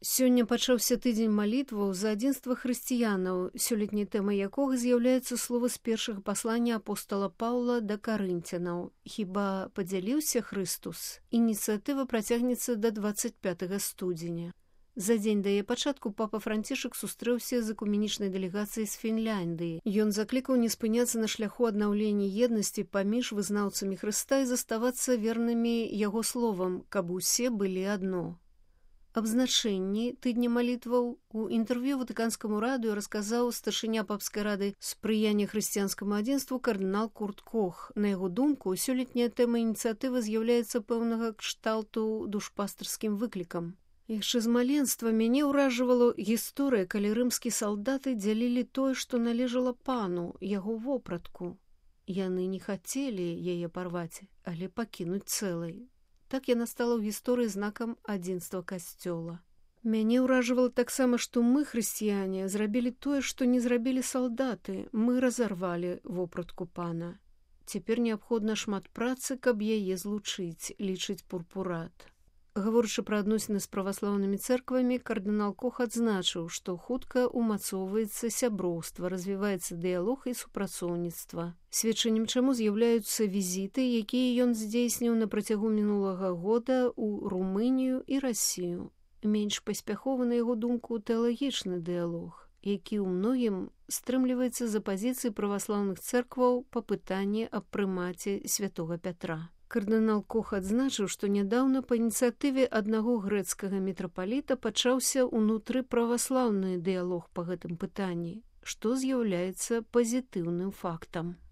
Сёння пачаўся тыдзень малітваў за адзінства хрысціянаў, сёлетняй тэмай якога з'яўляецца слова з першага паслання апостала Паўла да карынцянаў. Хіба падзяліўся Хрыстус? Ініцыятыва працягнецца да 25 студзеня. За дзень да яе пачатку папа Францішак сустрэўся з экуменічнай дэлегацыяй з Фінляндыі. Ён заклікаў не спыняцца на шляху аднаўлення еднасці паміж вызнаўцамі Хрыста і заставацца вернымі яго словам, каб усе былі адно. Аб значэнні тыдня малітваў у інтэрв'ю Ватыканскаму радыё расказаў старшыня папскай рады спрыяння хрысціянскаму адзінству кардынал Курт Кох. На яго думку, сёлетняя тэма ініцыятывы з'яўляецца пэўнага кшталту душпастарскім выклікам. Яшчэ з маленства мяне ўражвала гісторыя, калі рымскія салдаты дзялілі тое, што належала пану, яго вопратку. Яны не хацелі яе парваць, але пакінуць цэлай. Так яна стала ў гісторыі знакам адзінства касцёла. Мяне ўражвала таксама, што мы, хрысціяне, зрабілі тое, што не зрабілі салдаты. Мы разарвалі вопратку пана. Цяпер неабходна шмат працы, каб яе злучыць, лічыць Пурпурат. Гаворачы пра адносіны з праваслаўнымі цэрквамі, кардынал Кох адзначыў, што хутка ўмацоўваецца сяброўства, развіваецца дыялог і супрацоўніцтва. Сведчаннем чаму з'яўляюцца візіты, якія ён здзейсніў на працягу мінулага года ў Румынію і Расію. Менш паспяховы, на яго думку, тэалагічны дыялог, які ў многім стрымліваецца за пазіцыі праваслаўных цэркваў па пытанні аб прымаце святога Пятра. Кардынал Кох адзначыў, што нядаўна па ініцыятыве аднаго грэцкага мітрапаліта пачаўся ўнутры праваслаўны дыялог па гэтым пытанні, што з'яўляецца пазітыўным фактам.